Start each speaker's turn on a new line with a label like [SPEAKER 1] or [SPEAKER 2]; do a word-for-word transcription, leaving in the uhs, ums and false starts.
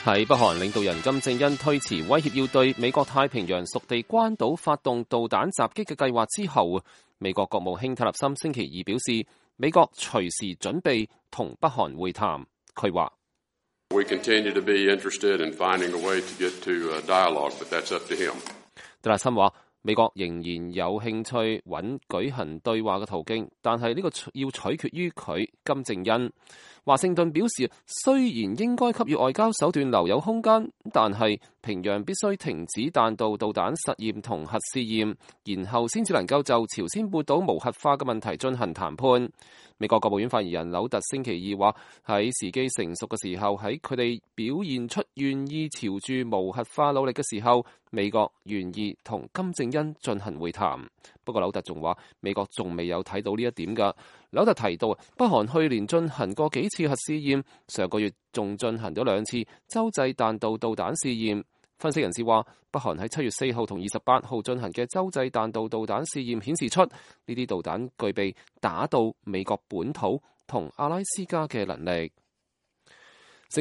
[SPEAKER 1] 喺北韓領導人金正恩推遲威脅要對美國太平洋屬地關島發動導彈襲擊嘅計劃之後，美國國務卿蒂勒森星期二表示，美國隨時準備同北韓會談。佢話：蒂勒森話，美國仍然有興趣揾舉行對話嘅途徑，但係呢個要取決於佢金正恩。華盛頓表示，雖然應該給予外交手段留有空間，但係平壤必須停止彈道導彈實驗同核試驗，然後先至能夠就朝鮮半島無核化嘅問題進行談判。美國國務院發言人紐特星期二話，喺時機成熟嘅時候，喺佢哋表現出願意朝住無核化努力嘅時候，美國願意同金正恩進行會談。不過紐特仲話，美國仲未有睇到呢一點㗎。紐特提到，北韓去年進行過幾次核試驗，上個月仲進行咗兩次洲際彈道導彈試驗。分析人士話，北韓喺七月四號同二十八號進行嘅洲際彈道導彈試驗顯示出呢啲導彈具備打到美國本土同阿拉斯加嘅能力。